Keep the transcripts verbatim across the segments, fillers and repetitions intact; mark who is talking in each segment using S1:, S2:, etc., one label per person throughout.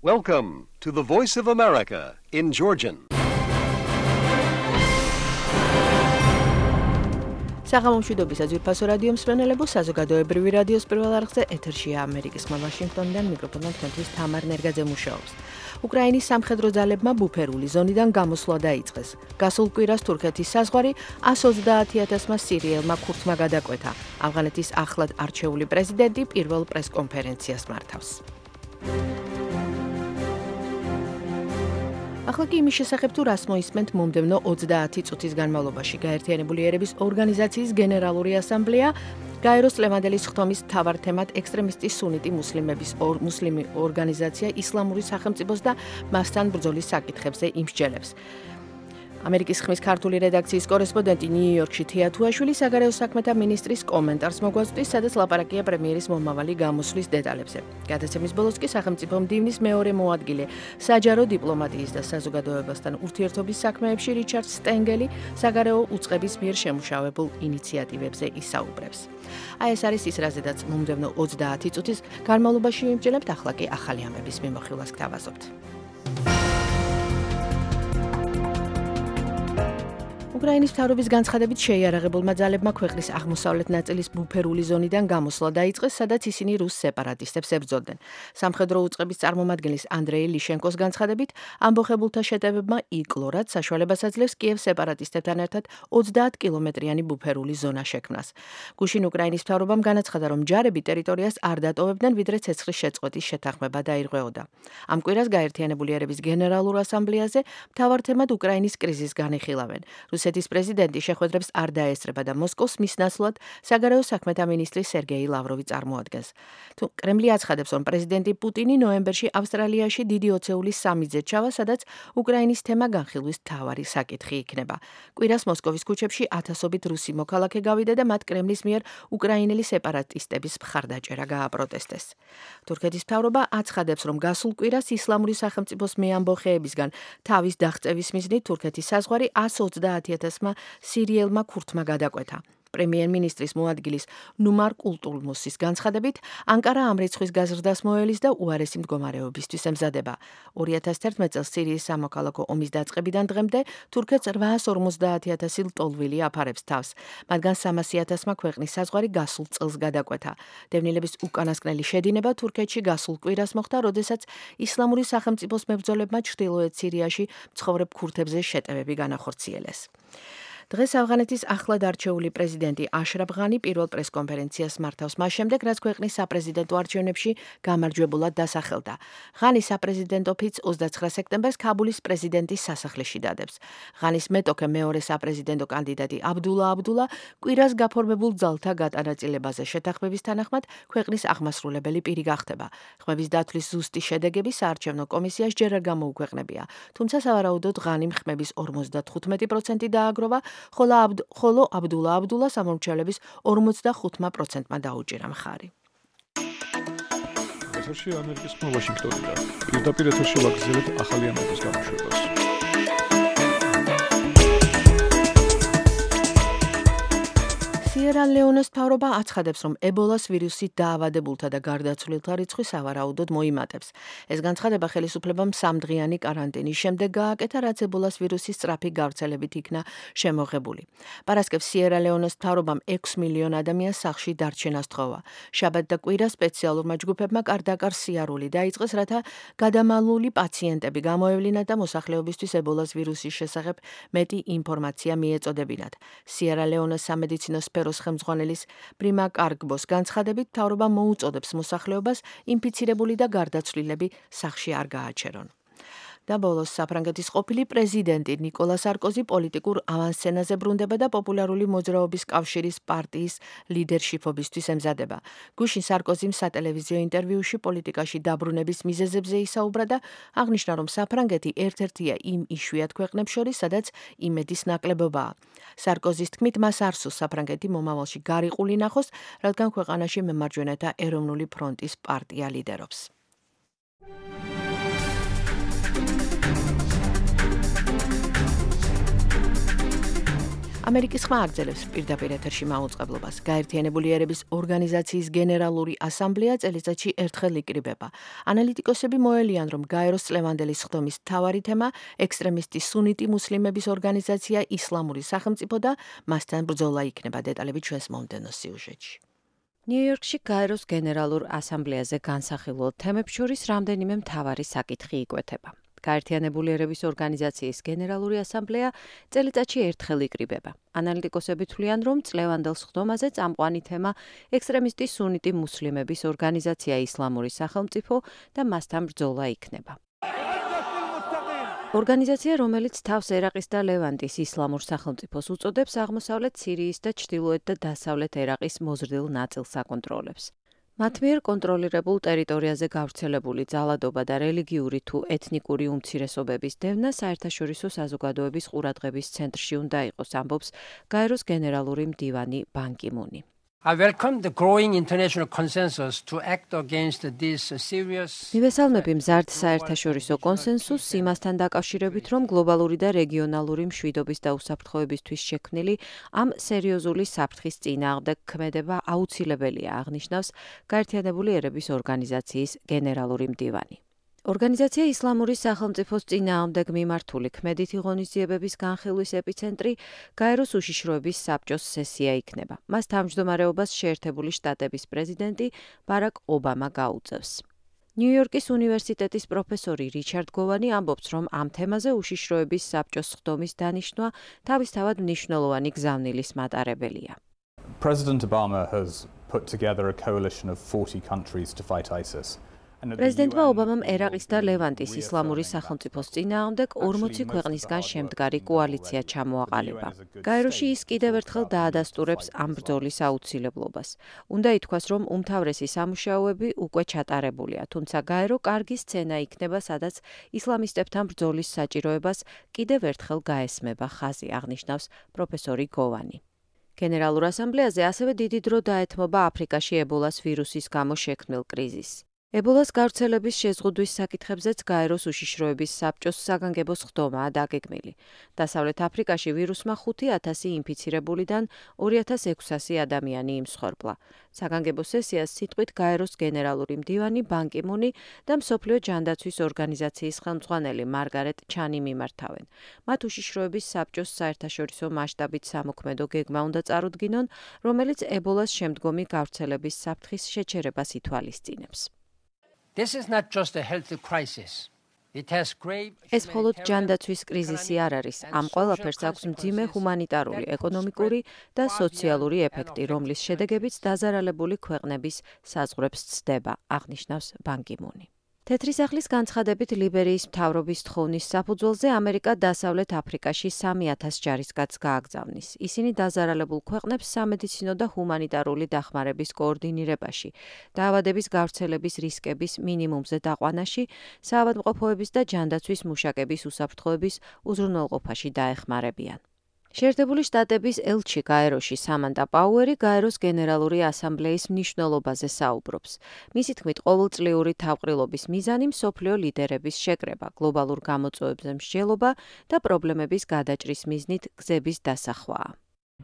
S1: Welcome to the Voice of America in Georgian.
S2: საღამომშვიდობის აძვირფასო რადიო მსმენელებო, საზოგადოებრივი რადიოს პირველ არხზე ეთერშია ამერიკის ხმა ვაშინგტონიდან მიკროფონთან თქვენთვის თამარ ნერგაძე მუშაობს. უკრაინის სამხედრო ძალებმა ბუფერული ზონიდან გამოსვლა დაიწყეს. გასულ კვირას თურქეთის საზღვარი ას ოცდაათი ათასმა სირიელმა ქურთმა გადაკვეთა. ავღანეთის ახლად არჩეული პრეზიდენტი პირველ პრესკონფერენციას მართავს. ახლა კი იმის შესახებ თუ რას მოისმენთ მომდევნო ოცდაათი წუთის განმავლობაში გაერთიანებული ერების ორგანიზაციის გენერალური ასამბლეა გაეროს ლევანდელის ხდომის მთავარ თემად ექსტრემისტი სუნიტი მუსლიმების ორ მუსლიმი ორგანიზაცია ისლამური სახელმწიფოს და მასთან ბრძოლის საკითხებზე იმსჯელებს. ამერიკის ხმის ქართული რედაქციის კორესპონდენტი ნიუ-იორკში თია თუაშვილი საგარეო საქმეთა მინისტრის კომენტარს მოგვაწვდის, სადაც ლაპარაკია პრემიერის მომავალი გამოსვლის დეტალებზე. გადაცემის ბოლოს კი სახელმწიფო მდივნის მეორე მოადგილე საჯარო დიპლომატიის და საზოგადოებასთან ურთიერთობის საქმეებში რიჩარდ სტენგელი საგარეო უწყების მიერ შემუშავებულ ინიციატივებზე ისაუბრებს. აი ეს არის ის, რაზედაც მომდევნო ოცდაათი წუთის განმავლობაში ვიმსჯელებთ, ახლა კი ახალი ამების მიმოხილვას გთავაზობთ. უკრაინის მთავრობის განცხადებით შეიარაღებულმა ძალებმა ქვეყნის აღმოსავლეთ ნაწილის ბუფერული ზონიდან გამოსვლა დაიწყეს, სადაც ისინი რუს სეპარატისტებს ებრძოდნენ. სამხედრო უწყების წარმომადგენლის ანდრეი ლიშენკოს განცხადებით, ამბოხებულთა შეტევებმა იკლო, რაც საშუალებას აძლევს კიევს სეპარატისტებთან ერთად ოცდაათ კილომეტრიანი ბუფერული ზონა შექმნას. გუშინ უკრაინის მთავრობამ განაცხადა, რომ ჯარები ტერიტორიას არ დატოვებდნენ, ვიდრე ცეცხლის შეწყვეტის შეთანხმება დაირღვეოდა. ამ კვირას გაერთიანებული ერების გენერალურ ასამბლეაზე მთავარ თემად უკრაინის კრიზისს განიხილავენ. რუსეთის პრეზიდენტი შეხვედრებს არ დაესწრება და მოსკოვს მის ნაცვლად საგარეო საქმეთა მინისტრი სერგეი ლავროვი წარმოადგენს. თუ კრემლი აცხადებს, რომ პრეზიდენტი პუტინი ნოემბერში ავსტრალიაში დიდი ოცეულის სამიზედ ჩავა, სადაც უკრაინის თემა განხილვის მთავარი საკითხი იქნება. კვირას მოსკოვის ქუჩებში ათასობით რუსი მოქალაქე გავიდა და მათ კრემლის მიერ უკრაინელი სეპარატისტების მხარდაჭერა გააპროტესტეს. თურქეთის მთავრობა აცხადებს, რომ გასულ კვირას ისლამური სახელმწიფოს მეამბოხეებისგან თავის დაღწევის მიზნით თურქეთის საზღვარი ას ოცდაათი ათასმა სირიელმა ქურთმა გადაკვეთა. პრემიერ-მინისტრის მოადგილის ნუმარ კულტულმუსის განცხადებით, ანკარა ამ რიცხვის გაზრდას მოელის და უარესი მდგომარეობისთვის ემზადება. ორი ათას თერთმეტ წელს სირიის სამოქალაქო ომის დაწყებიდან დღემდე თურქეთს რვაას ორმოცდაათი ათასი ლტოლვილი აფარებს თავს. მათგან სამასი ათასმა ქვეყნის საზღვარი გასულ წელს გადაკვეთა. დევნილების უკანასკნელი შედინება თურქეთში გასულ კვირას მოხდა, როდესაც ისლამური სახელმწიფოს მებრძოლებმა ჩრდილოეთ სირიაში მცხოვრებ ქურთებზე შეტევები განახორციელეს. დღეს ავღანეთის ახლად არჩეული პრეზიდენტი აშრაფ ღანი პირველ პრესკონფერენციას მართავს მას შემდეგ, რაც ქვეყნის საპრეზიდენტო არჩევნებში გამარჯვებულად დასახელდა. ღანი საპრეზიდენტო ფიცს ოცდაცხრა სექტემბერს ქაბულის პრეზიდენტის სასახლეში დადებს. ღანის მეტოქე მეორე საპრეზიდენტო კანდიდატი აბდულა აბდულა კვირას გაფორმებულ ძალთა გატანაწილებაზე შეთანხმების თანახმად ქვეყნის აღმასრულებელი პირი გახდება. ხმების დათვლის ზუსტი შედეგები საარჩევნო კომისიას ჯერ არ გამოუქვეყნებია, თუმცა სავარაუდოდ ღანიმ ხმების ორმოცდათხუთმეტი პროცენტი დააგროვა, ხოლო აბდ ხოლო აბდულა აბდულა სამომრჩევლების ორმოცდახუთმა პროცენტმა დაუჭირა მხარი.
S3: ეთერში ამერიკის ხმა ვაშინგტონიდან. პირდაპირ ეთერში ვაგრძელებთ ახალი ამბების გამოშვებას. სიერა ლეონეს მთავრობა აცხადებს, რომ ებოლას ვირუსით დაავადებულთა და გარდაცვლილთა რიცხვი სავარაუდოდ მოიმატებს. ეს განცხადება ხელისუფლებამ სამდღიანი კარანტინის შემდეგ გააკეთა, რაც ებოლას ვირუსის სწრაფი გავრცელებით იქნა შემოღებული. პარასკევს სიერა ლეონეს მთავრობამ ექვს მილიონ ადამიანს სახლში დარჩენა სთხოვა. შაბათ და კვირა სპეციალურმა ჯგუფებმა კარდაკარ სიარული დაიწყეს, რათა გადამალული პაციენტები გამოევლინათ და მოსახლეობისთვის ებოლას ვირუსის შესახებ მეტი ინფორმაცია მიეწოდებინათ. სიერა ლეონეს სამედიცინო სფეროს ხელმძღვანელის პრიმა კარგბოს განცხადებით, მთავრობა მოუწოდებს მოსახლეობას ინფიცირებული და გარდაცვლილები სახლში არ გააჩერონ. და ბოლოს საფრანგეთის ყოფილი პრეზიდენტი ნიკოლა სარკოზი პოლიტიკურ ავანსცენაზე ბრუნდება და პოპულარული მოძრაობის კავშირის პარტიის ლიდერშიფობისთვის ემზადება. გუშინ სარკოზიმ სატელევიზიო ინტერვიუში პოლიტიკაში დაბრუნების მიზეზებზე ისაუბრა და აღნიშნა, რომ საფრანგეთი ერთ-ერთია იმ იშვიათ ქვეყნებს შორის, სადაც იმედის ნაკლებობაა. სარკოზის თქმით, მას არ სურს საფრანგეთი მომავალში გარიყული ნახოს, რადგან ქვეყანაში მემარჯვენეთა ეროვნული ფრონტის პარტია ლიდერობს.
S2: ამერიკის ხმა აგრძელებს პირდაპირ ეთერში მაუწყებლობას. გაერთიანებული ერების ორგანიზაციის გენერალური ასამბლეა წელიწადში ერთხელ იკრიბება. ანალიტიკოსები მოელიან, რომ გაეროს წლევანდელი სხდომის მთავარი თემა ექსტრემისტი სუნიტი მუსლიმების ორგანიზაცია ისლამური სახელმწიფო და მასთან ბრძოლა იქნება. დეტალები ჩვენს მომდევნო სიუჟეტში.
S3: ნიუ-იორკში გაეროს გენერალურ ასამბლეაზე განსახილულ თემებს შორის რამდენიმე მთავარი საკითხი იკვეთება. გაერთიანებული ერების ორგანიზაციის გენერალური ასამბლეა წელიწადში ერთხელ იკრიბება. ანალიტიკოსები თვლიან, რომ წლევანდელ სხდომაზე წამყვანი თემა ექსტრემისტი სუნიტი მუსლიმების ორგანიზაცია ისლამური სახელმწიფო და მასთან ბრძოლა იქნება. ორგანიზაცია, რომელიც თავს ერაყის და ლევანტის ისლამურ სახელმწიფოს უწოდებს, აღმოსავლეთ სირიის და ჩრდილოეთ და დასავლეთ ერაყის მოზრდილ ნაწილს აკონტროლებს. მათ მიერ კონტროლირებულ ტერიტორიაზე გავრცელებული ძალადობა და რელიგიური თუ ეთნიკური უმცირესობების დევნა საერთაშორისო საზოგადოების ყურადღების centrში უნდა იყოს, ამბობს გაეროს გენერალური მდივანი ბან კი მუნი.
S4: I welcome the growing international consensus to act against this serious.
S3: მივესალმები მზარდ საერთაშორისო კონსენსუსს იმასთან დაკავშირებით, რომ გლობალური და რეგიონალური მშვიდობის და უსაფრთხოებისთვის შექმნილი ამ სერიოზული საფრთხის წინააღმდეგ ქმედება აუცილებელია, აღნიშნავს გაერთიანებული ერების ორგანიზაციის გენერალური მდივანი. ორგანიზაცია ისლამური სახელმწიფოს წინააღმდეგ მიმართული ქმედითი ღონისძიებების განხილვის ეპიცენტრი გაეროს უშიშროების საბჭოს სესია იქნება. მას თავმჯდომარეობას შეერთებული შტატების პრეზიდენტი ბარაკ ობამა გაუწევს. ნიუ-იორკის უნივერსიტეტის პროფესორი რიჩარდ გოვანი ამბობს, რომ ამ თემაზე უშიშროების საბჭოს სხდომის დანიშვნა თავისთავად მნიშვნელოვანი გზავნილის მატარებელია.
S5: President Obama has put together a coalition of forty countries to fight ISIS.
S3: პრეზიდენტმა ობამამ ერაყის და ლევანტის ისლამური სახელმწიფოს წინააღმდეგ ორმოცი ქვეყნისგან შემდგარი კოალიცია ჩამოაყალიბა. გაეროში ის კიდევ ერთხელ დაადასტურებს ამ ბრძოლის აუცილებლობას. უნდა ითქვას, რომ უმთავრესი სამუშაოები უკვე ჩატარებულია, თუმცა გაერო კარგი სცენა იქნება, სადაც ისლამისტებთან ბრძოლის საჭიროებას კიდევ ერთხელ გაესმება ხაზი, აღნიშნავს პროფესორი გოვანი. გენერალურ ასამბლეაზე ასევე დიდი დრო დაეთმობა აფრიკაში ებოლას ვირუსის გამო შექმნილ კრიზისს. ებოლას გავრცელების შეზღუდვის საკითხებზეც გაეროს უშიშროების საბჭოს საგანგებო სხდომაა დაგეგმილი. დასავლეთ აფრიკაში ვირუსმა ხუთი ათასი ინფიცირებულიდან ორი ათას ექვსასი ადამიანი იმსხვერპლა. საგანგებო სესიას სიტყვით გაეროს გენერალური მდივანი ბან კი მუნი და მსოფლიო ჯანდაცვის ორგანიზაციის ხელმძღვანელი მარგარეტ ჩანი მიმართავენ. მათ უშიშროების საბჭოს საერთაშორისო მასშტაბით სამოქმედო გეგმა უნდა წარუდგინონ, რომელიც ებოლას შემდგომი გავრცელების საფრთხის შეჩერებას ითვალისწინებს.
S4: This is not just a health crisis. It has grave.
S3: ეს მხოლოდ ჯანდაცვის კრიზისი არ არის. ამ ყველაფერს აქვს მძიმე ჰუმანიტარული, ეკონომიკური და სოციალური ეფექტი, რომლის შედეგებიც დაზარალებული ქვეყნების საზღვრებს ცდება, აღნიშნავს ბან კი მუნი. თეთრი სახლის განცხადებით ლიბერიის მთავრობის თხოვნის საფუძველზე ამერიკა დასავლეთ აფრიკაში სამი ათას ჯარისკაცს გააგზავნის. ისინი დაზარალებულ ქვეყნებს სამედიცინო და ჰუმანიტარული დახმარების კოორდინირებაში, დაავადების გავრცელების რისკების მინიმუმზე დაყვანაში, საავადმყოფოების და ჯანდაცვის მუშაკების უსაფრთხოების უზრუნველყოფაში დაეხმარებიან. შეერთებული შტატების ელჩი გაეროში სამანტა პაუერი გაეროს გენერალური ასამბლეის მნიშვნელობაზე საუბრობს. მისი თქმით, ყოველწლიური თავყრილობის მიზანი მსოფლიო ლიდერების შეკრება, გლობალურ გამოწვევებზე მსჯელობა და პრობლემების გადაჭრის მიზნით გზების დასახვაა.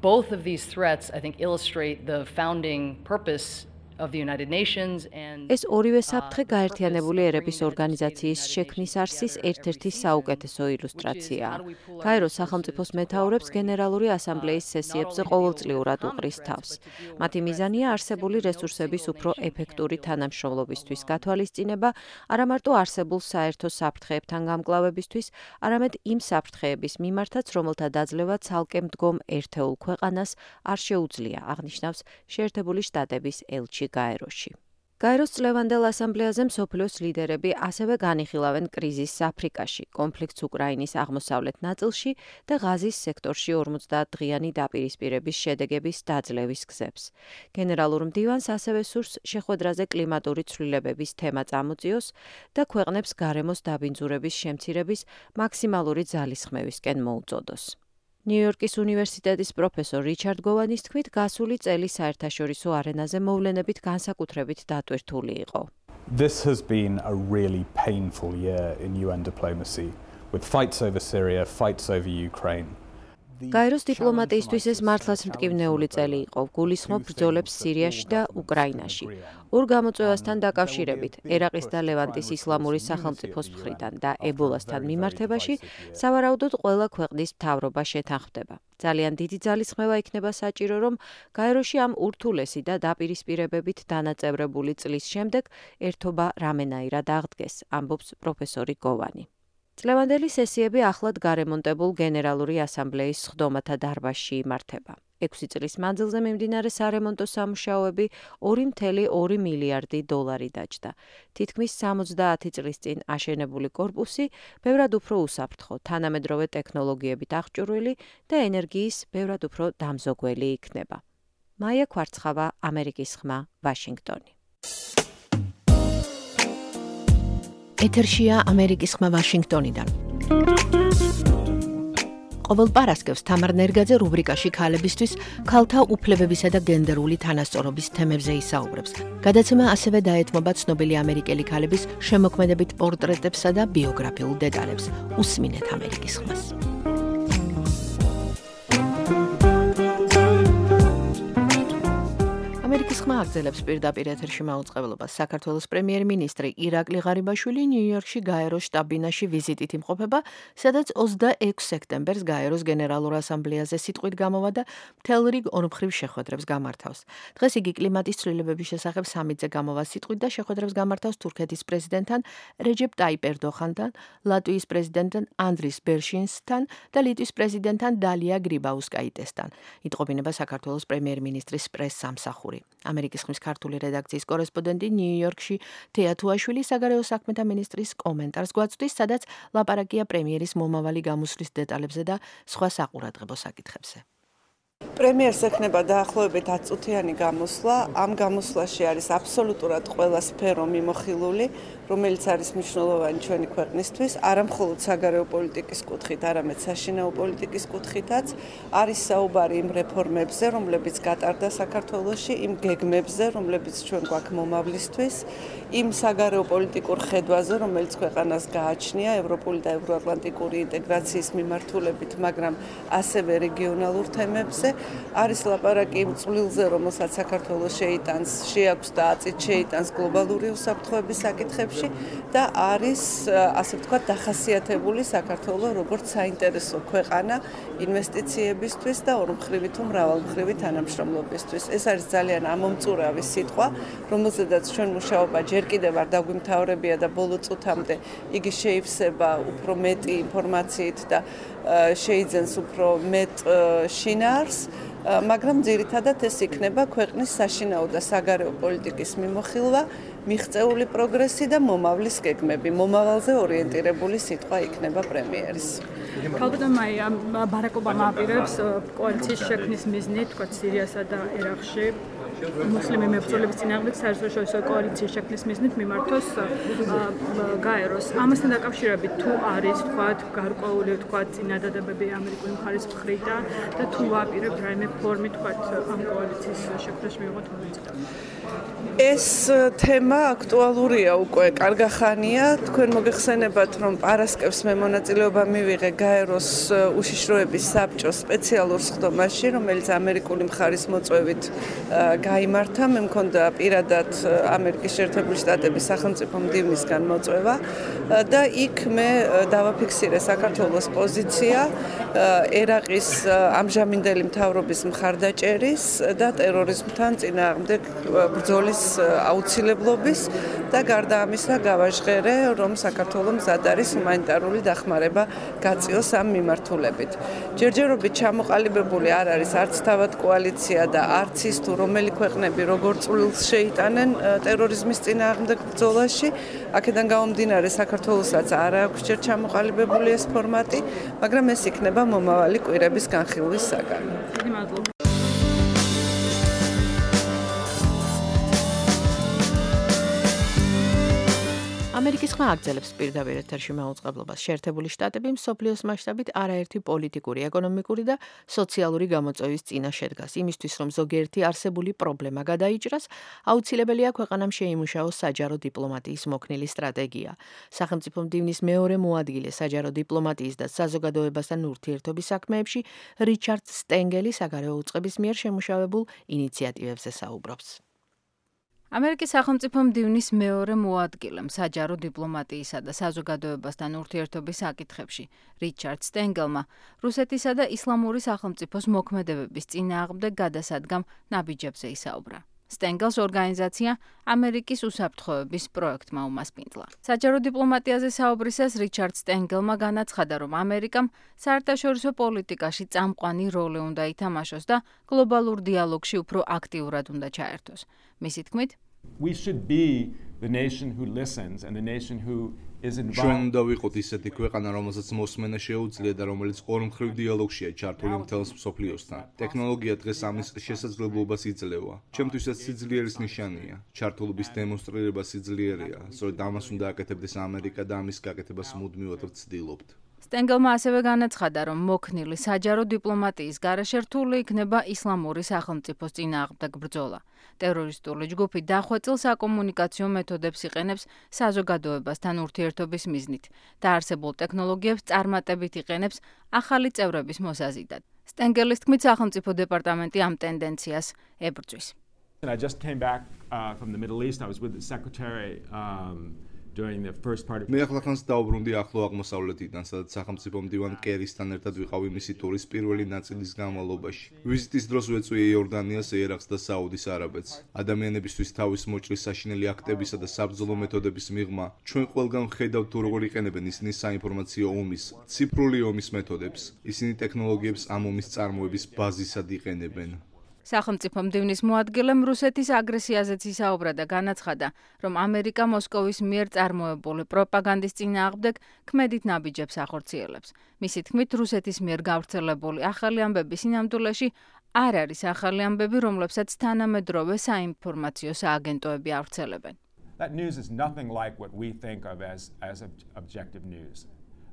S6: Both of these threats, I think, illustrate the founding purpose of the United Nations and
S3: ეს ორივე საფრთხე გაერთიანებული ერების ორგანიზაციის შექმნის არსის ერთ-ერთი საუკეთესო ილუსტრაციაა. გაეროს სახელმწიფოს მეთაურებს გენერალური ასამბლეის სესიებზე ყოველწლიურად უყრის თავს. მათი მიზანია არსებული რესურსების უფრო ეფექტური თანამშრომლობისთვის გათვალისწინება, არა მარტო არსებულ საერთო საფრთხეებთან გამკლავებისთვის, არამედ იმ საფრთხეების მიმართაც, რომელთა დაძლევა ცალკე მდგომ ერთეულ ქვეყანას არ შეუძლია, აღნიშნავს შეერთებული შტატების ელჩი გაეროში. გაეროს წლევანდელ ასამბლეაზე მსოფლიოს ლიდერები ასევე განიხილავენ კრიზისს აფრიკაში, კონფლიქტს უკრაინის აღმოსავლეთ ნაწილში და ღაზის სექტორში ორმოცდაათ დღიანი დაპირისპირების შედეგების დაძლევის გზებს. გენერალურ მდივანს ასევე სურს შეხვედრაზე კლიმატური ცვლილებების თემა წამოწიოს და ქვეყნებს გარემოს დაბინძურების შემცირების მაქსიმალური ძალისხმევისკენ მოუწოდოს. ნიუ-იორკის უნივერსიტეტის პროფესორ რიჩარდ გოვანის თქმით, გასული წელი საერთაშორისო არენაზე მოვლენებით განსაკუთრებით დატვირთული იყო.
S5: This has been a really painful year in U N diplomacy, with fights over Syria, fights over Ukraine.
S3: გაეროს დიპლომატიისთვის ეს მართლაც მტკივნეული წელი იყო, გულისხმობ ბრძოლებს სირიაში და უკრაინაში. ორ გამოწვევასთან დაკავშირებით, ერაყის და ლევანტის ისლამური სახელმწიფოს მხრიდან და ებოლასთან მიმართებაში, სავარაუდოდ ყველა ქვეყნის მთავრობა შეთანხმდება. ძალიან დიდი ძალისხმევა იქნება საჭირო, რომ გაეროში ამ ურთულესი და დაპირისპირებებით დანაწევრებული წლის შემდეგ ერთობა რამენაირად აღდგეს, ამბობს პროფესორი გოვანი. წლევანდელი სესიები ახლად გარემონტებულ გენერალური ასამბლეის სხდომათა დარბაზში იმართება. ექვსი წლის მანძილზე მიმდინარე სარემონტო სამუშაოები ორი კoma ორი მილიარდი დოლარი დაჯდა. თითქმის სამოცდაათი წლის წინ აშენებული კორპუსი ბევრად უფრო უსაფრთხო, თანამედროვე ტექნოლოგიებით აღჭურვილი და ენერგიის ბევრად უფრო დამზოგველი იქნება. მაია კვარცხავა, ამერიკის ხმა, ვაშინგტონი.
S2: ეთერშია ამერიკის ხმა ვაშინგტონიდან. ყოველ პარასკევს თამარ ნერგაძე რუბრიკაში ქალებისთვის ქალთა უფლებებისა და გენდერული თანასწორობის თემებზე ისაუბრებს. გადაცემა ასევე დაეთმობა ცნობილი ამერიკელი ქალების შემოქმედებით პორტრეტებსა და ბიოგრაფიულ დეტალებს. უსმინეთ ამერიკის ხმას. ამერიკის ხმა აგრძელებს პირდაპირ ეთერში მაუწყებლობას. საქართველოს პრემიერ-მინისტრი ირაკლი ღარიბაშვილი ნიუ-იორკში გაეროს შტაბ-ბინაში ვიზიტით იმყოფება, სადაც ოცდაექვსი სექტემბერს გაეროს გენერალურ ასამბლეაზე სიტყვით გამოვა და მთელ რიგ ორმხრივ შეხვედრებს გამართავს. დღეს იგი კლიმატის ცვლილებების შესახებ სამიტზე გამოვა სიტყვით და შეხვედრებს გამართავს თურქეთის პრეზიდენტთან რეჯეპ ტაიპ ერდოღანთან, ლატვიის პრეზიდენტთან ანდრის ბერშინსთან და ლიტვის პრეზიდენტთან დალია გრიბაუსკაიტესთან. იტყობინება საქართველოს პრემიერ-მინისტრის პრეს-სამსახური. ამერიკის ხმის ქართული რედაქციის კორესპონდენტი ნიუ-იორკში თეა თუაშვილი საგარეო საქმეთა მინისტრის კომენტარს გვაწვდის, სადაც ლაპარაკია პრემიერის მომავალი გამოსვლის დეტალებზე და სხვა საყურადღებო საკითხებზე.
S7: პრემიერს ექნება დაახლოებით ათი წუთიანი გამოსვლა. ამ გამოსვლაში არის აბსოლუტურად ყველა სფერო მიმოხილული, რომელიც არის მნიშვნელოვანი ჩვენი ქვეყნისთვის, არა მხოლოდ საგარეო პოლიტიკის კუთხით, არამედ საშინაო პოლიტიკის კუთხითაც. არის საუბარი იმ რეფორმებზე, რომლებიც გატარდა საქართველოში, იმ გეგმებზე, რომლებიც ჩვენ გვაქვს მომავლისთვის, იმ საგარეო პოლიტიკურ ხედვაზე, რომელიც ქვეყანას გააჩნია ევროპული და ევროატლანტიკური ინტეგრაციის მიმართულებით, მაგრამ ასევე რეგიონალურ თემებზე. არის ლაპარაკი იმ წვლილზე, რომელსაც საქართველოს შეიტანს, შეაქვს და აწით შეიტანს გლობალური უსაფრთხოების საკითხებში და არის, ასე ვთქვათ, დახასიათებული საქართველოს როგორც საინტერესო ქვეყანა ინვესტიციებისთვის და ორმხრივი თუ მრავალმხრივი თანამშრომლობისთვის. ეს არის ძალიან ამომწურავი სიტყვა, რომელზედაც ჩვენ მუშაობა ჯერ კიდევ არ დაგვიმთავრებია და ბოლო წუთამდე იგი შეივსება უფრო მეტი ინფორმაციით და შეიძენს უფრო მეტ შინაარს, მაგრამ ძირითადად ეს იქნება ქვეყნის საშინაო და საგარეო პოლიტიკის მიმოხილვა, მიღწეული პროგრესი და მომავლის გეგმები. მომავალზე ორიენტირებული სიტყვა იქნება პრემიერის.
S8: ქალბატონ მაია, ბარაკ ობამა აპირებს კოალიციის შექმნის მიზნით, თქვა სირიასა და ერაყში მუსლიმი მებრძოლების წინააღმდეგ საერთაშორისო კოალიციის შექმნის მიზნით მიმართოს გაეროს. ამასთან დაკავშირებით თუ არის, თქვათ, გარკვეული, თქვათ, წინადადებები ამერიკული მხარის მხრიდან და თუ აპირებთ რაიმე ფორმით, თქვათ, ამ კოალიციის შექმნაში მიიღოთ მონაწილეობა.
S7: ეს თემა აქტუალურია უკვე კარგახანია. თქვენ მოგეხსენებათ, რომ პარასკევს მე მონაწილეობა მივიღე გაეროს უშიშროების საბჭოს სპეციალურ სხდომაში, რომელიც ამერიკული მხარის მოწვევით გაიმართა. მე მქონდა პირადად ამერიკის შეერთებული შტატების სახელმწიფო მდივნისგან მოწვევა და იქ მე დავაფიქსირე საქართველოს პოზიცია ერაყის ამჟამინდელი მთავრობის მხარდაჭერის და ტერორიზმთან წინააღმდეგ ბრძოლის აუცილებლობის და გარდა ამისა გავაჟღერე, რომ საქართველოს მზად არის ჰუმანიტარული დახმარება გაწიოს ამ მიმართულებით. ჯერჯერობით ჩამოყალიბებული არ არის არც თავად კოალიცია და არც ის თუ რომელი ქვეყნები როგორ წვლილს შეიტანენ ტერორიზმის წინააღმდეგ ბრძოლაში. აქედან გამომდინარე საქართველოსაც არ აქვს ჯერ ჩამოყალიბებული ეს ფორმატი, მაგრამ ეს იქნება მომავალი კვირების განხილვის საგანი.
S8: დიდი მადლობა.
S2: ამერიკის ხმა აგრძელებს პირდაპირ ეთერში მაუწყებლობას. შეერთებული შტატები მსოფლიოს მასშტაბით არაერთი პოლიტიკური, ეკონომიკური და სოციალური გამოწვევის წინა შედგას. იმისთვის, რომ ზოგიერთი არსებული პრობლემა გადაიჭრას, აუცილებელია ქვეყანამ შეიმუშაოს საჯარო დიპლომატიის მოქნილი სტრატეგია. სახელმწიფო მდივნის მეორე მოადგილე საჯარო დიპლომატიის და საზოგადოებასთან ურთიერთობის საქმეებში რიჩარდ სტენგელი საგარეო უწყების მიერ შემუშავებულ ინიციატივებზე საუბრობს.
S3: ამერიკის სახელმწიფო მდივნის მეორე მოადგილემ საჯარო დიპლომატიისა და საზოგადოებასთან ურთიერთობის საკითხებში რიჩარდ სტენგელმა რუსეთისა და ისლამური სახელმწიფოს მოქმედებების წინააღმდეგ გადასადგამ ნაბიჯებზე ისაუბრა. სტენგელს ორგანიზაცია ამერიკის უსაფრთხოების პროექტმა უმასპინძლა. საჯარო დიპლომატიაზე საუბრისას რიჩარდ სტენგელმა განაცხადა, რომ ამერიკამ საერთაშორისო პოლიტიკაში წამყვანი როლი უნდა ითამაშოს და გლობალურ დიალოგში უფრო აქტიურად უნდა ჩაერთოს. მისი თქმით,
S9: We should be the nation who listens and the nation who is involved.
S10: ჩვენ უნდა ვიყოთ ისეთი ქვეყანა, რომელსაც მოსმენა შეუძლია და რომელიც ორმხრივ დიალოგშია ჩართული მთელს მსოფლიოსთან. ტექნოლოგია დღეს ამის შესაძლებლობას იძლევა. ჩემთვის ეს სიძლიერის ნიშანია. ჩართულობის დემონსტრირება სიძლიერია. სწორედ ამას უნდა აკეთებდეს ამერიკა და ამის გაკეთებას მუდმივად ვცდილობთ.
S3: სტენგელმა ასევე განაცხადა, რომ მოქნილი საჯარო დიპლომატიის გარეშე რთული იქნება ისლამური სახელმწიფოს წინააღმდეგ ბრძოლა. ტერორისტული ჯგუფი დახვეწილ საკომუნიკაციო მეთოდებს იყენებს საზოგადოებასთან ურთიერთობის მიზნით და არსებულ ტექნოლოგიებს წარმატებით იყენებს ახალი წევრების მოსაზიდად. სტენგელის თქმით, სახელმწიფო დეპარტამენტი ამ ტენდენციას ებრძვის.
S9: I just came back uh, from the Middle East. I was with the secretary um, during the first part of
S10: მე ახლახანს დაუბრუნდი ახლო აღმოსავლეთიდან, სადაც სახელმწიფო მდივან კერისთან ერთად ვიყავი მისი ტურის პირველი ნაწილის განმავლობაში. ვიზიტის დროს ვეწვია იორდანიას, ერაყს და საუდის არაბეთს. ადამიანებისთვის თავის მოჭრის საშინელი აქტებისა და საბრძოლო მეთოდების მიღმა, ჩვენ ყველგან ვხედავთ თუ როგორ იყენებენ ისინი საინფორმაციო ომის, ციფრული ომის მეთოდებს. ისინი ტექნოლოგიებს ამ ომის წარმოების ბაზისად იყენებენ.
S3: სახელმწიფო მდივნის მოადგილემ რუსეთის აგრესიაზეც ისაუბრა და განაცხადა, რომ ამერიკა მოსკოვის მიერ წარმოებული პროპაგანდის წინააღმდეგ ქმედით ნაბიჯებს ახორციელებს. მისი თქმით, რუსეთის მიერ გავრცელებული ახალი ამბების სინამდვილეში არ არის ახალი ამბები, რომლებსაც თანამედროვე საინფორმაციო სააგენტოები ავრცელებენ.
S9: That news is nothing like what we think of as as objective news.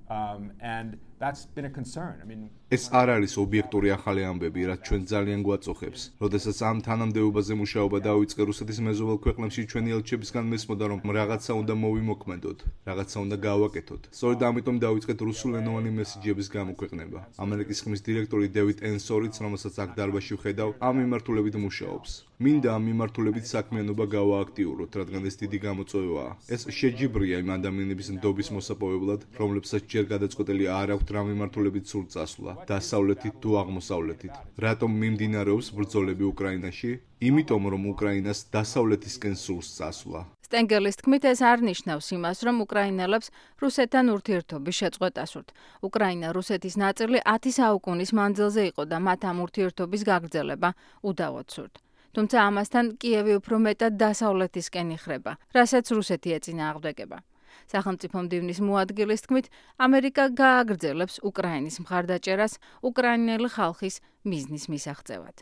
S9: Um, and that's been a concern. I mean,
S10: ეს არ არის ობიექტური ახალი ამბები, რაც ჩვენ ძალიან გვაწუხებს. როდესაც ამ თანამდებობაზე მუშაობა დაიწყე რუსეთის მეზობელ ქვეყნებში, ჩვენი ელჩებისგან მესმოდა, რომ რაღაცა უნდა მოვიმოქმედოთ, რაღაცა უნდა გავაკეთოთ. სწორედ ამიტომ დაიწყეთ რუსულენოვანი მესიჯების გამოქვეყნება. ამერიკის ხმის დირექტორი დევიდ ენსორიც, რომელსაც აქ დარბაზში ვხედავ, ამ მიმართულებით მუშაობს. მინდა ამ მიმართულებით საქმიანობა გავააქტიუროთ, რადგან ეს დიდი გამოწვევაა. ეს შეჯიბრია იმ ადამიანების ნდობის მოსაპოვებლად, რომლებსაც ჯერ გადაწყვეტილი არ აქვთ რა მიმართულებით სურთ წასვლა. დასავლეთით თუ აღმოსავლეთით. რატომ მიმდინარეობს ბრძოლები უკრაინაში? იმიტომ, რომ უკრაინას დასავლეთისკენ სურს წასვლა.
S3: სტენგელის თქმით, ეს არ ნიშნავს იმას, რომ უკრაინელებს რუსეთთან ურთიერთობის შეწყვეტა სურთ. უკრაინა რუსეთის ნაწილი ათი საუკუნის მანძილზე იყო და მათ ამ ურთიერთობის გაგრძელება უდავოდ სურთ. თუმცა ამასთან კიევი უფრო მეტად დასავლეთისკენ იხრება, რასაც რუსეთი ეწინააღმდეგება. სახელმწიფო მდივნის მოადგილის თქმით, ამერიკა გააგრძელებს უკრაინის მხარდაჭერას უკრაინელი ხალხის მიზნის მისაღწევად.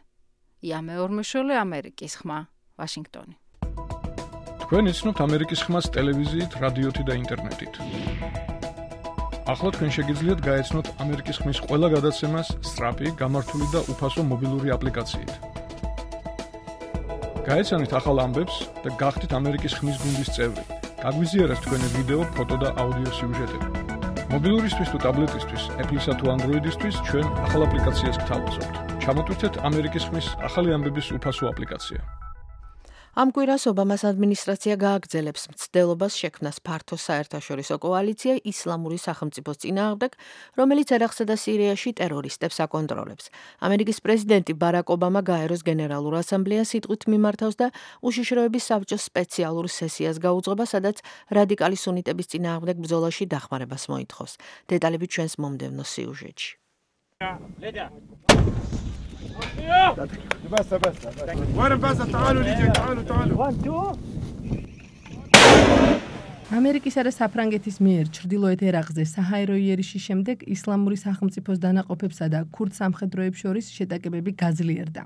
S3: იამე ორმეშოლე, ამერიკის ხმა, ვაშინგტონი.
S11: თქვენ იცნობთ ამერიკის ხმას ტელევიზიით, რადიოთი და ინტერნეტით. ახლა თქვენ შეგიძლიათ გაეცნოთ ამერიკის ხმის ყველა გადაცემას სწრაფი, გამართული და უფასო მობილური აპლიკაციით. გაეცანით ახალ ამბებს და გახდით ამერიკის ხმის გუნდის წევრი. გაგვიზიარეთ თქვენი ვიდეო, ფოტო და აუდიო სიუჟეტები. მობილურისთვის თუ ტაბლეტისთვის, Apple-ისა თუ Android-ისთვის ჩვენ ახალ აპლიკაციას გთავაზობთ. ჩამოტვირთეთ ამერიკის ხმის ახალი ამბების უფასო აპლიკაცია.
S2: ამ კვირას ობამას ადმინისტრაცია გააგრძელებს მცდელობას შექმნას ფართო საერთაშორისო კოალიცია ისლამური სახელმწიფოს წინააღმდეგ, რომელიც ერაყსა და სირიაში ტერორისტებს აკონტროლებს. ამერიკის პრეზიდენტი ბარაკ ობამა გაეროს გენერალურ ასამბლეას სიტყვით მიმართავს და უშიშროების საბჭოს სპეციალურ სესიას გაუძღობა, სადაც რადიკალი სუნიტების წინააღმდეგ ბრძოლაში დახმარებას მოითხოვს. დეტალები ჩვენს მომდევნო სიუჟეტში.
S12: بس بس وين بس تعالوا نيجي تعالوا تعالوا
S13: ამერიკისა და საფრანგეთის მიერ ჩრდილოეთ ერაყზე საჰაერო იერიშის შემდეგ ისლამური სახელმწიფოს დანაყოფებსა და ქურდ სამხედროებს შორის შეტაკებები გაძლიერდა.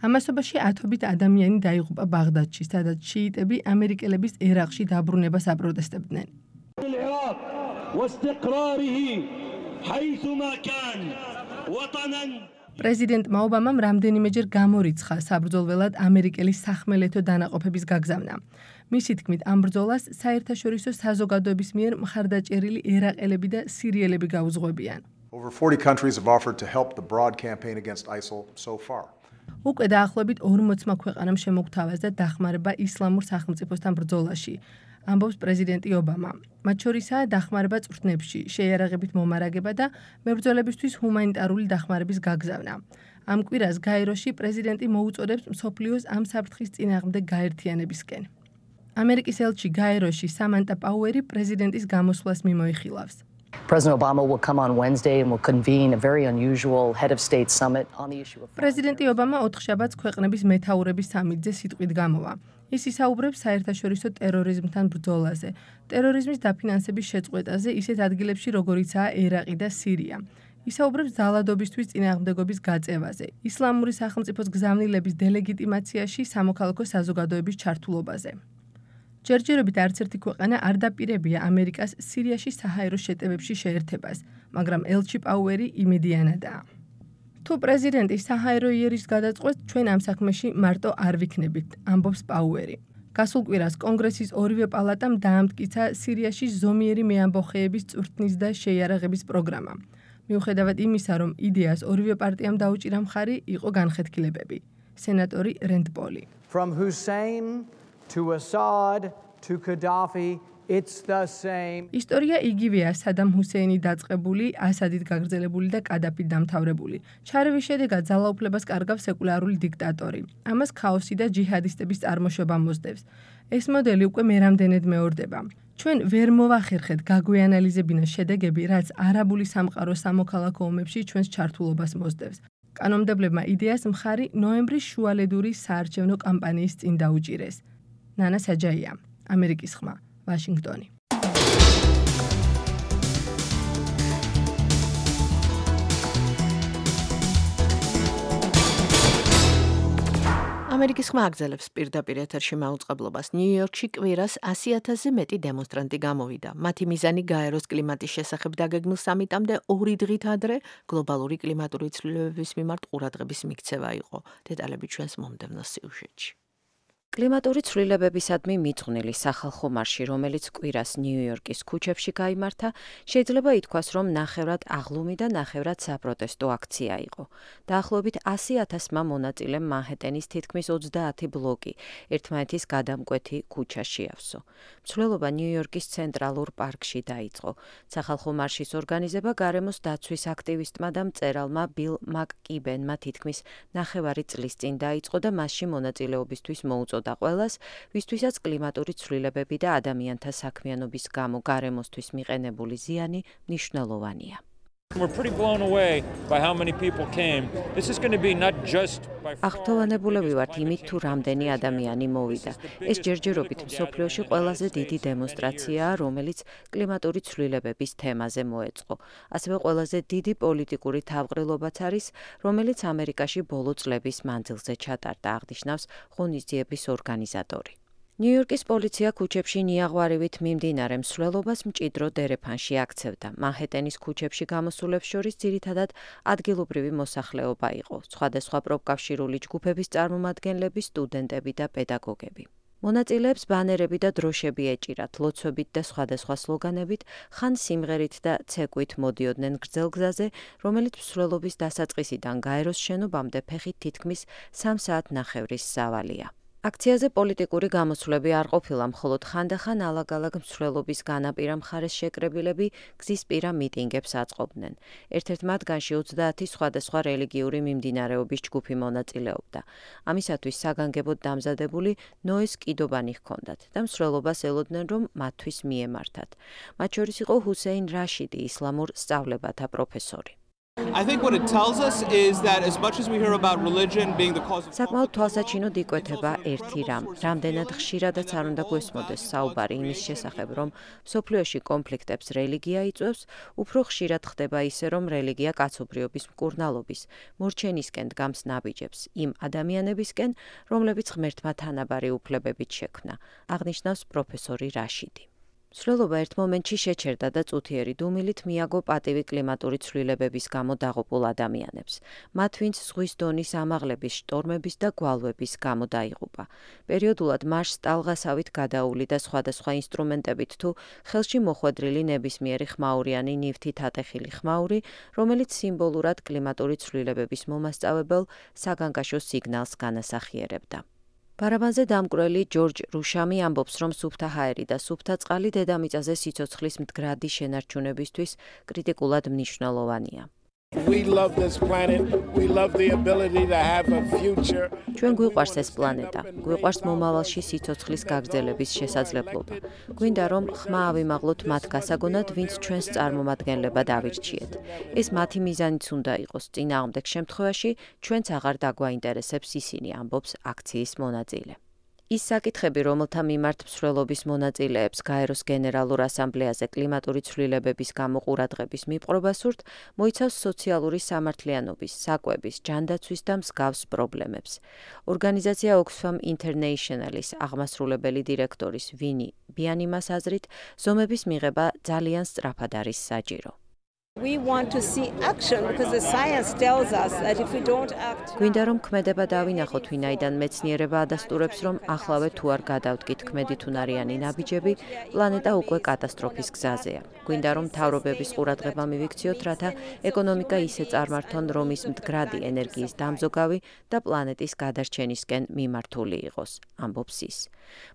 S13: ამასობაში ათობით ადამიანი დაიღუპა ბაღდადში, სადაც შიიტები ამერიკელების ერაყში დაბრუნებას აპროტესტებდნენ.
S14: العراق واستقراره حيثما كان وطنا
S13: პრეზიდენტმა ობამამ რამდენიმეჯერ გამორიცხა საბრძოლველად ამერიკელი სახმელეთო დანაყოფების გაგზავნა. მისი თქმით, ამ ბრძოლას საერთაშორისო საზოგადოების მიერ მხარდაჭერილი ერაყელები და სირიელები გაუძღვებიან.
S15: Over forty countries have offered to help the broad campaign against ISIL so far.
S13: უკვე დაახლოებით ორმოცმა ქვეყანამ შემოგთავაზა დახმარება ისლამურ სახელმწიფოსთან ბრძოლაში. ამბობს პრეზიდენტი ობამა. მათ შორისაა დახმარება წვრთნებში, შეიარაღებით მომარაგება და მებრძოლებისთვის ჰუმანიტარული დახმარების გაგზავნა. ამ კვირას გაეროში პრეზიდენტი მოუწოდებს მსოფლიოს ამ საფრთხის წინააღმდეგ გაერთიანებისკენ. ამერიკის ელჩი გაეროში სამანტა პაუერი პრეზიდენტის გამოსვლას მიმოიხილავს.
S16: President Obama will come on Wednesday and will convene a very unusual head of state summit on the issue of
S13: პრეზიდენტი ობამა ოთხშაბათს ქვეყნების მეთაურების სამიტზე სიტყვით გამოვა. ის ისაუბრებს საერთაშორისო ტერორიზმთან ბრძოლაზე, ტერორიზმის დაფინანსების შეწყვეტაზე ისეთ ადგილებში, როგორიცაა ერაყი და სირია. ისაუბრებს ძალადობისთვის წინააღმდეგობის გაწევაზე, ისლამური სახელმწიფოს გზავნილების დელეგიტიმაციაში სამოქალაქო საზოგადოების ჩართულობაზე. ჯერჯერობით არც ერთი ქვეყანა არ დაპირებია ამერიკას სირიაში საჰაერო შეტევებში შეერთებას, მაგრამ ელჩი პაუერი იმედიანადაა. თუ პრეზიდენტი საჰაერო იერიშს გადაწყვეტს, ჩვენ ამ საქმეში მარტო არ ვიქნებით, ამბობს პაუერი. გასულ კვირას კონგრესის ორივე პალატამ დაამტკიცა სირიაში ზომიერი მეამბოხეების წვრთნის და შეიარაღების პროგრამა. მიუხედავად იმისა, რომ იდეას ორივე პარტიამ დაუჭირა მხარი, იყო განხეთქილებები. სენატორი რენდ პოლი.
S17: From Hussein to Assad to Gaddafi, it's the same.
S13: ისტორია იგივეა სადამ ჰუსეინი დაწყებული, ასადით გაგრძელებული და კადაფით დამთავრებული. ჩარევის შედეგად ძალაუფლებას კარგავს სეკულარული დიქტატორი. ამას ქაოსი და ჯიჰადისტების წარმოშობა მოსდევს. ეს მოდელი უკვე მერამდენედ მეორდება. ჩვენ ვერ მოვახერხეთ გაგვეანალიზებინა შედეგები, რაც არაბული სამყაროს სამოქალაქო ომებში ჩვენს ჩართულობას მოსდევს. კანონმდებლებმა იდეას მხარი ნოემბრის შუალედური საარჩევნო კამპანიის წინ დაუჭირეს. ნანა საჯაია, ამერიკის ხმა, ვაშინგტონი.
S2: ამერიკის ხმა აგზელებს პირდაპირ ეთერში მაუწყებლობას. ნიუ-იორკში კვირას ასი ათასზე მეტი დემონსტრანტი გამოვიდა. მათი მიზანი გაეროს კლიმატის შესახებ დაგეგმილ სამიტამდე ორი დღით ადრე გლობალური კლიმატური ცვლილებების მიმართ ყურადღების მიქცევა იყო. დეტალები ჩვენს მომდევნო სიუჟეტში.
S3: კლიმატური ცვლილებებისადმი მიძღვნილი სახალხო მარში, რომელიც კვირას ნიუ-იორკის ქუჩებში გაიმართა, შეიძლება ითქვას, რომ ნახევრად აღლუმი და ნახევრად საპროტესტო აქცია იყო. დაახლოებით ასი ათასმა მონაწილემ მანჰეტენის თითქმის ოცდაათი ბლოკი ერთმანეთის გადამკვეთი ქუჩა შეავსო. მცვლელობა ნიუ-იორკის ცენტრალურ პარკში დაიწყო. სახალხო მარშის ორგანიზება გარემოს დაცვის აქტივისტმა და მწერალმა ბილ მაკკიბენმა თითქმის ნახევარი წლის წინ დაიწყო და მასში მონაწილეობისთვის მოუწოდა და ყველას, ვისთვისაც კლიმატური ცვლილებები და ადამიანთა საქმიანობის გამო გარემოსთვის მიყენებული ზიანი მნიშვნელოვანია.
S18: We're pretty blown away by how many people came. This is going to be not just by
S3: აღთოვანებულები ვართ იმით, თუ რამდენი ადამიანი მოვიდა. ეს ჯერჯერობით მსოფლიოში ყველაზე დიდი დემონსტრაციაა, რომელიც კლიმატური ცვლილებების თემაზე მოეწყო. ასევე ყველაზე დიდი პოლიტიკური თავყრილობაც არის, რომელიც ამერიკაში ბოლო წლების მანძილზე ჩატარდა, აღნიშნავს ღონისძიების ორგანიზატორი. ნიუ-იორკის პოლიცია ქუჩებში ნიაღვარივით მიმდინარე მსვლელობას მჭიდრო დერეფანში აქცევდა. მანჰეტენის ქუჩებში გამოსულებს შორის ძირითადად ადგილობრივი მოსახლეობა იყო, სხვადასხვა პროფკავშირული ჯგუფების წარმომადგენლები, სტუდენტები და პედაგოგები. მონაწილეებს ბანერები და დროშები ეჭირათ, ლოცვებით და სხვადასხვა სლოგანებით, ხან სიმღერით და ცეკვით მოდიოდნენ გრძელ გზაზე, რომელიც მსვლელობის დასაწყისიდან გაეროს შენობამდე ფეხით თითქმის სამ საათნახევრის სავალია. აქციაზე პოლიტიკური გამოსვლები არ ყოფილა, მხოლოდ ხანდახან ალაგ-ალაგ მსვლელობის განაპირა მხარეს შეკრებილები გზისპირა მიტინგებს აწყობდნენ. ერთ-ერთ მათგანში ოცდაათი სხვადასხვა რელიგიური მიმდინარეობის ჯგუფი მონაწილეობდა. ამისათვის საგანგებოდ დამზადებული ნოეს კიდობანი ჰქონდათ და მსვლელობას ელოდნენ, რომ მათთვის მიემართათ. მათ შორის იყო ჰუსეინ რაშიდი, ისლამურ სწავლებათა პროფესორი.
S19: I think what it tells us is that as much as we hear about religion being the cause of
S3: საკმაოდ თვალსაჩინოდ იკვეთება ერთი რამ. რამდენად ხშირადაც არ უნდა გვესმოდეს საუბარი იმის შესახებ, რომ მსოფლიოში კონფლიქტებს რელიგია იწვევს, უფრო ხშირად ხდება ისე, რომ რელიგია კაცობრიობის მკურნალობის, მორჩენისკენ დგამს ნაბიჯებს, იმ ადამიანებისკენ, რომლებიც ღმერთმა თანაბარი უფლებებით შექმნა, აღნიშნავს პროფესორი რაშიდი. მსვლელობა ერთ მომენტში შეჩერდა და წუთიერი დუმილით მიაგო პატივი კლიმატური ცვლილებების გამო დაღუპულ ადამიანებს. მათ, ვინც ზღვის დონის ამაღლების, შტორმების და გვალვების გამო დაიღუპა. პერიოდულად მარშს ტალღასავით გადაული და სხვადასხვა ინსტრუმენტებით თუ ხელში მოხვედრილი ნებისმიერი ხმაურიანი ნივთით ატეხილი ხმაური, რომელიც სიმბოლურად კლიმატური ცვლილებების მომასწავებელ საგანგაშო სიგნალს განასახიერებდა. პარაბანზე დამკვირველი ჯორჯ რუშამი ამბობს, რომ სუფთა ჰაერი და სუფთა წყალი დედამიწაზე სიცოცხლის მდგრადი შენარჩუნებისთვის კრიტიკულად მნიშვნელოვანია.
S20: We love this planet. We love the ability to have a future.
S3: ჩვენ გვიყვარს ეს პლანეტა. გვიყვარს მომავალში სიცოცხლის გაგრძელების შესაძლებლობა. გვინდა რომ ხმა ავიმაღლოთ მათ გასაგონად, ვინც ჩვენს წარმომადგენლებად ავირჩიეთ. ეს მათი მიზანიც უნდა იყოს. წინააღმდეგ შემთხვევაში ჩვენც აღარ დაგვაინტერესებს ისინი, ამბობს აქციის მონაწილე. ის საკითხები, რომელთა მიმართ მსვლელობის მონაწილეებს გაეროს გენერალურ ასამბლეაზე კლიმატური ცვლილებების გამო ყურადღების მიპყრობა სურთ, მოიცავს სოციალური სამართლიანობის, საკვების, ჯანდაცვის და მსგავს პრობლემებს. ორგანიზაცია Oxfam International-ის აღმასრულებელი დირექტორის ვინი ბიანიმას აზრით, ზომების მიღება ძალიან სწრაფად არის საჭირო.
S21: We want to see action because the science tells us that if we don't act
S3: გვინდა რომ ქმედება დავინახოთ, ვინაიდან მეცნიერება ადასტურებს, რომ ახლავე თუ არ გადავდგით ქმედითუნარიანი ნაბიჯები, პლანეტა უკვე კატასტროფის გზაზეა. გვინდა რომ მთავრობების ყურადღება მივიქციოთ, რათა ეკონომიკა ისე წარმართონ, რომ ის მდგრადი ენერგიის დამზოგავი და პლანეტის გადარჩენისკენ მიმართული იყოს, ამბობს ის.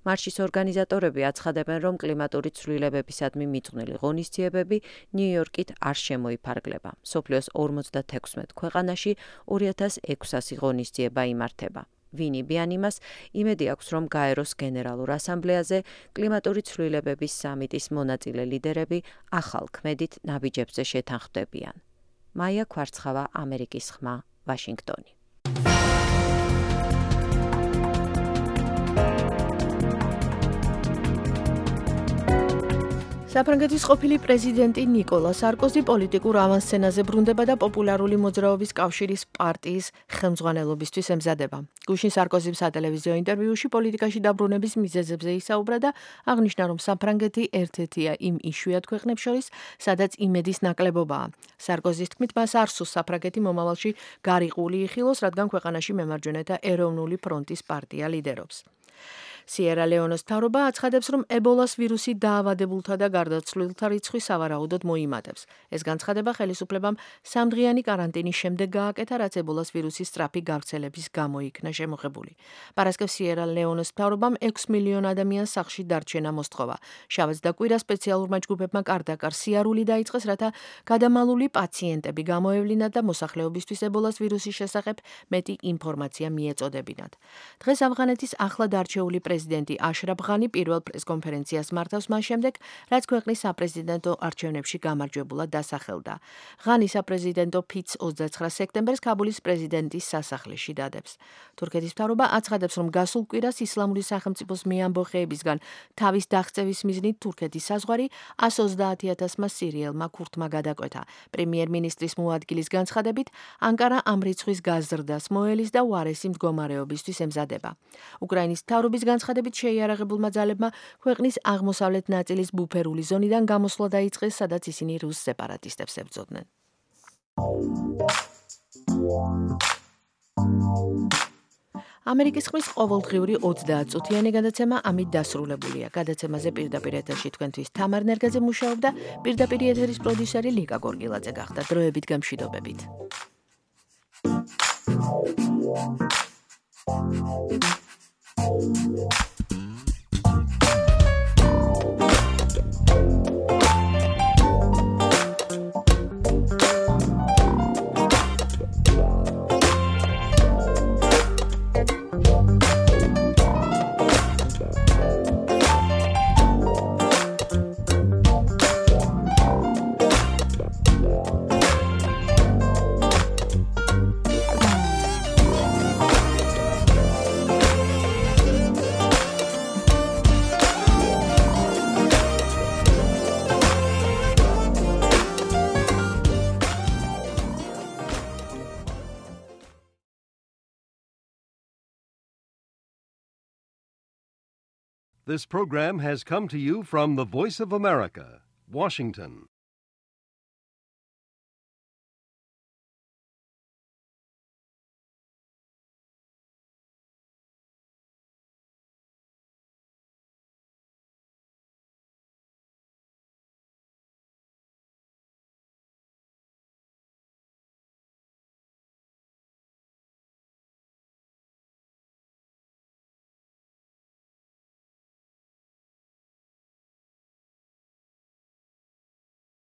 S3: მარშის ორგანიზატორები აცხადებენ, რომ კლიმატური ცვლილებებისადმი მიძღვნილი ღონისძიებები ნიუ-იორკით არ შემოიფარგლება. მსოფლიოს ორმოცდათექვსმეტ ქვეყანაში ორი ათას ექვსასი ღონისძიება იმართება. ვინი ბიანიმას იმედი აქვს, რომ გაეროს გენერალურ ასამბლეაზე კლიმატური ცვლილებების სამიტის მონაწილე ლიდერები ახალ ქმედით ნაბიჯებზე შეთანხმდებიან. მაია ქვარცხავა, ამერიკის ხმა, ვაშინგტონი.
S2: საფრანგეთის ყოფილი პრეზიდენტი ნიკოლა სარკოზი პოლიტიკურ ავანსცენაზე ბრუნდება და პოპულარული მოძრაობის კავშირის პარტიის ხელმძღვანელობისთვის ემზადება. გუშინ სარკოზიმ სატელევიზიო ინტერვიუში პოლიტიკაში დაბრუნების მიზეზებზე ისაუბრა და აღნიშნა, რომ საფრანგეთი ერთ-ერთია იმ იშვიათ ქვეყნებს შორის, სადაც იმედის ნაკლებობაა. სარკოზის თქმით, მას არ სურს საფრანგეთი მომავალში გარიყული იხილოს, რადგან ქვეყანაში მემარჯვენეთა ეროვნული ფრონტის პარტია ლიდერობს. სიერა ლეონეს მთავრობა აცხადებს, რომ ებოლას ვირუსი დაავადებულთა და გარდაცვლილთა რიცხვი სავარაუდოდ მოიმატებს. ეს განცხადება ხელისუფლებამ სამდღიანი კარანტინის შემდეგ გააკეთა, რაც ებოლას ვირუსის სწრაფი გავრცელების გამო იქნა შემოღებული. პარასკევს სიერა ლეონეს მთავრობამ ექვს მილიონ ადამიანს სახლში დარჩენა მოსთხოვა. შაბათს და კვირას სპეციალურმა ჯგუფებმა კარდაკარ სიარული დაიწყეს, რათა გადამალული პაციენტები გამოევლინათ და მოსახლეობისთვის ებოლას ვირუსის შესახებ მეტი ინფორმაცია მიეწოდებინათ. დღეს ავღანეთის ახლად არჩეული პრეზიდენტი აშრაფ ღანი პირველ პრესკონფერენციას მართავს მას შემდეგ, რაც ქვეყნის საპრეზიდენტო არჩევნებში გამარჯვებულად დასახელდა. ღანი საპრეზიდენტო ფიცს ოცდაცხრა სექტემბერს კაბულის პრეზიდენტის სასახლეში დადებს. თურქეთის მთავრობა აცხადებს, რომ გასულ კვირას ისლამური სახელმწიფოს მეამბოხეებისგან თავის დაღწევის მიზნით თურქეთის საზღვარი ას ოცდაათი ათასმა სირიელმა ქურთმა გადაკვეთა. პრემიერ-მინისტრის მოადგილის განცხადებით, ანკარა ამ რიცხვის გაზრდას მოელის და უარესი მდგომარეობისთვის ემზადება. უკრაინის მთავრობის განცხადებით შეიარაღებულმა ძალებმა ქვეყნის აღმოსავლეთ ნაწილის ბუფერული ზონიდან გამოსვლა დაიწყეს, სადაც ისინი რუს სეპარატისტებს ებრძოდნენ. ამერიკის ხმის ყოველდღიური ოცდაათწუთიანი გადაცემა ამით დასრულებულია. გადაცემაზე პირდაპირ ეთერში თქვენთვის თამარ ნერგაძე მუშაობდა, პირდაპირ ეთერის პროდიუსერი ლიკა გორგილაძე გახდა. დროებით გამშვიდობებით.
S1: This program has come to you from the Voice of America, Washington.